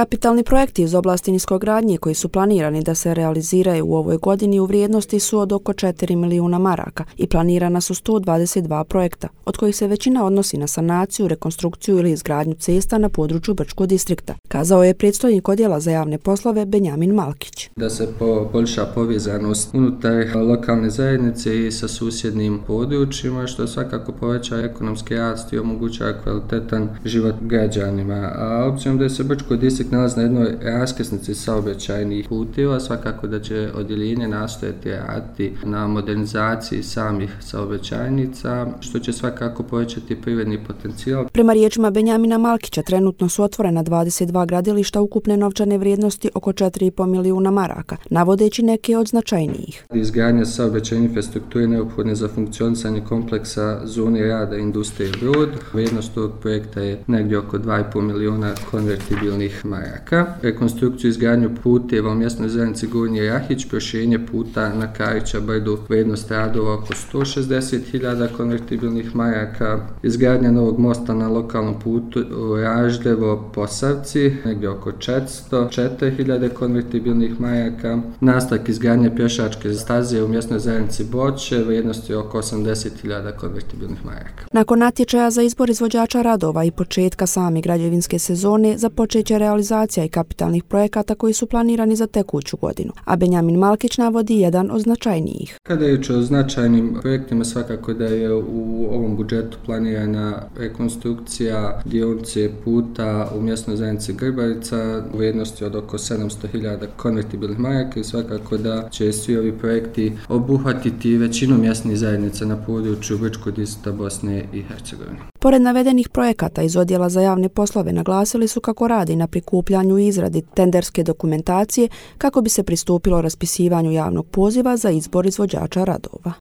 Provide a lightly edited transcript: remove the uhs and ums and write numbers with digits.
Kapitalni projekti iz oblasti niskogradnje koji su planirani da se realiziraju u ovoj godini u vrijednosti su od oko 4 milijuna maraka i planirana su 122 projekta, od kojih se većina odnosi na sanaciju, rekonstrukciju ili izgradnju cesta na području Brčkog distrikta, kazao je predstojnik odjela za javne poslove Benjamin Malkić. Da se poboljša povezanost unutar lokalne zajednice i sa susjednim područjima, što svakako poveća ekonomski rast i omogućava kvalitetan život građanima. A obzirom da se Brčko distrikt nalazi na jednoj raskrsnici saobraćajnih puteva, svakako da će odjeljenje nastojati raditi na modernizaciji samih saobraćajnica, što će svakako povećati privredni potencijal. Prema riječima Benjamina Malkića, trenutno su otvorena 22 gradilišta ukupne novčane vrijednosti oko 4,5 milijuna maraka, navodeći neke od značajnijih. Izgradnja saobraćajne infrastrukture neophodne za funkcionisanje kompleksa zone rada industrije Brod. Vrijednost tog projekta je negdje oko 2,5 milijuna konvertibilnih maraka. Rekonstrukciju i izgradnju puteva u mjesnoj zajednici Gornji Rahić, proširenje puta na Karića Brdu, vrijednost radova oko 160.000 konvertibilnih maraka, izgradnja novog mosta na lokalnom putu Raždevo-Posavci, negdje oko 404.000 konvertibilnih maraka, nastavak izgradnje pješačke staze u mjesnoj zajednici Boće, vrijednosti oko 80.000 konvertibilnih maraka. Nakon natječaja za izbor izvođača radova i početka same građevinske sezone, započet će realizacija i kapitalnih projekata koji su planirani za tekuću godinu, a Benjamin Malkić navodi jedan od značajnijih. Kada je riječ o značajnim projektima, svakako da je u ovom budžetu planirana rekonstrukcija dionice puta u mjesnoj zajednici Grbarica u vrijednosti od oko 700.000 konvertibilnih maraka i svakako da će svi ovi projekti obuhvatiti većinu mjesnih zajednica na području Brčkog distrikta Bosne i Hercegovine. Pored navedenih projekata iz odjela za javne poslove naglasili su kako radi na prikupljanju i izradi tenderske dokumentacije kako bi se pristupilo raspisivanju javnog poziva za izbor izvođača radova.